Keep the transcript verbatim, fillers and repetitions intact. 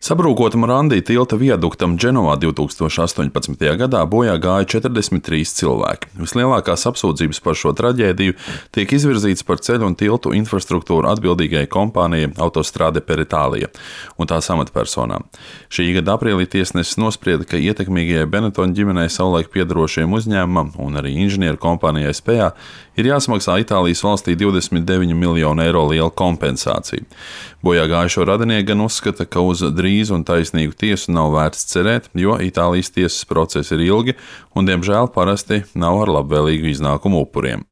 Sabrūkota Morandi tilta viaduktam Dženovā divtūkstoš astoņpadsmitajā gadā bojā gāja četrdesmit trīs cilvēki. Vislielākās apsūdzības par šo traģēdiju tiek izvirzītas par ceļu un tiltu infrastruktūru atbildīgajai kompānijai Autostrade per Itālija un tās amatpersonām. Šī gada aprīlī tiesnesis nosprieda, ka ietekmīgajai Benetton ģimenei savulaik piederošajam uzņēmumam un arī inženieru kompānijai S P A ir jāsamaksā Itālijas valstī divdesmit deviņu miljonu eiro liela kompensācija. Bojā gājušo radinieki gan uzskata, ka uz drīzu un taisnīgu tiesu nav vērts cerēt, jo Itālijas tiesas procesi ir ilgi un, diemžēl, parasti nav ar labvēlīgu iznākumu upuriem.